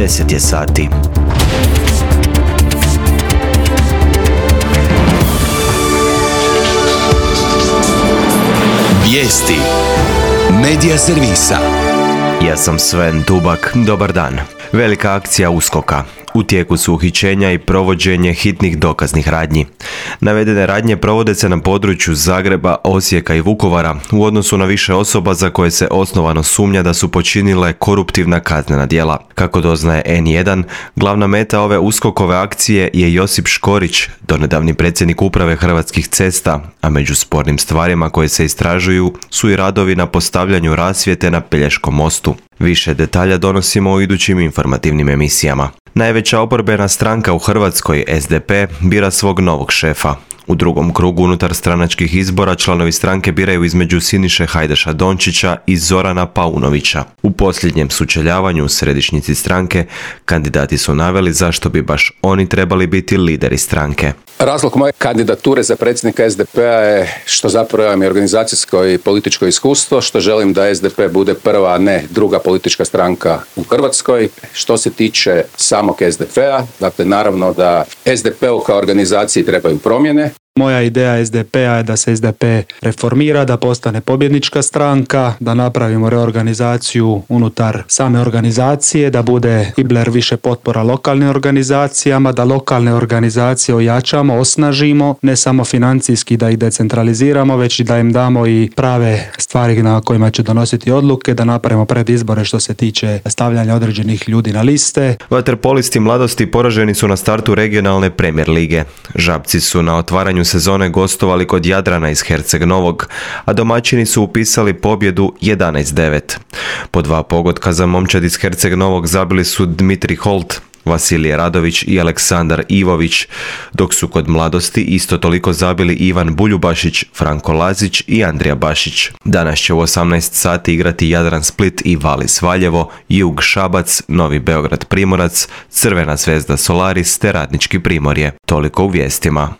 10 je sati. Vijesti Medija servisa. Ja sam Sven Dubak, dobar dan. Velika akcija USKOK-a. U tijeku su uhićenja i provođenje hitnih dokaznih radnji. Navedene radnje provode se na području Zagreba, Osijeka i Vukovara u odnosu na više osoba za koje se osnovano sumnja da su počinile koruptivna kaznena djela. Kako doznaje N1, glavna meta ove USKOK-ove akcije je Josip Škorić, donedavni predsjednik uprave Hrvatskih cesta, a među spornim stvarima koje se istražuju su i radovi na postavljanju rasvjete na Pelješkom mostu. Više detalja donosimo u idućim informativnim emisijama. Najveća oporbena stranka u Hrvatskoj, SDP, bira svog novog šefa. U drugom krugu unutar stranačkih izbora članovi stranke biraju između Siniše Hajdaša Dončića i Zorana Paunovića. U posljednjem sučeljavanju u središnjici stranke kandidati su naveli zašto bi baš oni trebali biti lideri stranke. Razlog moje kandidature za predsjednika SDP-a je što zapravo imam i organizacijsko i političko iskustvo, što želim da SDP bude prva, a ne druga politička stranka u Hrvatskoj. Što se tiče samog SDP-a, dakle naravno da SDP-u kao organizaciji trebaju promjene. Moja ideja SDP-a je da se SDP reformira, da postane pobjednička stranka, da napravimo reorganizaciju unutar same organizacije, da bude Ibler više potpora lokalnim organizacijama, da lokalne organizacije ojačamo, osnažimo, ne samo financijski da ih decentraliziramo, već i da im damo i prave stvari na kojima će donositi odluke, da napravimo predizbore što se tiče stavljanja određenih ljudi na liste. Vaterpolisti Mladosti poraženi su na startu regionalne Premier lige. Žabci su na otvaranju sezone gostovali kod Jadrana iz Herceg Novog, a domaćini su upisali pobjedu 11-9. Po 2 pogotka za momčad iz Herceg Novog zabili su Dmitri Holt, Vasilije Radović i Aleksandar Ivović, dok su kod Mladosti isto toliko zabili Ivan Buljubašić, Franko Lazić i Andrija Bašić. Danas će u 18 sati igrati Jadran Split i Valis Valjevo, Jug Šabac, Novi Beograd Primorac, Crvena zvezda Solaris te Radnički Primorje. Toliko u vijestima.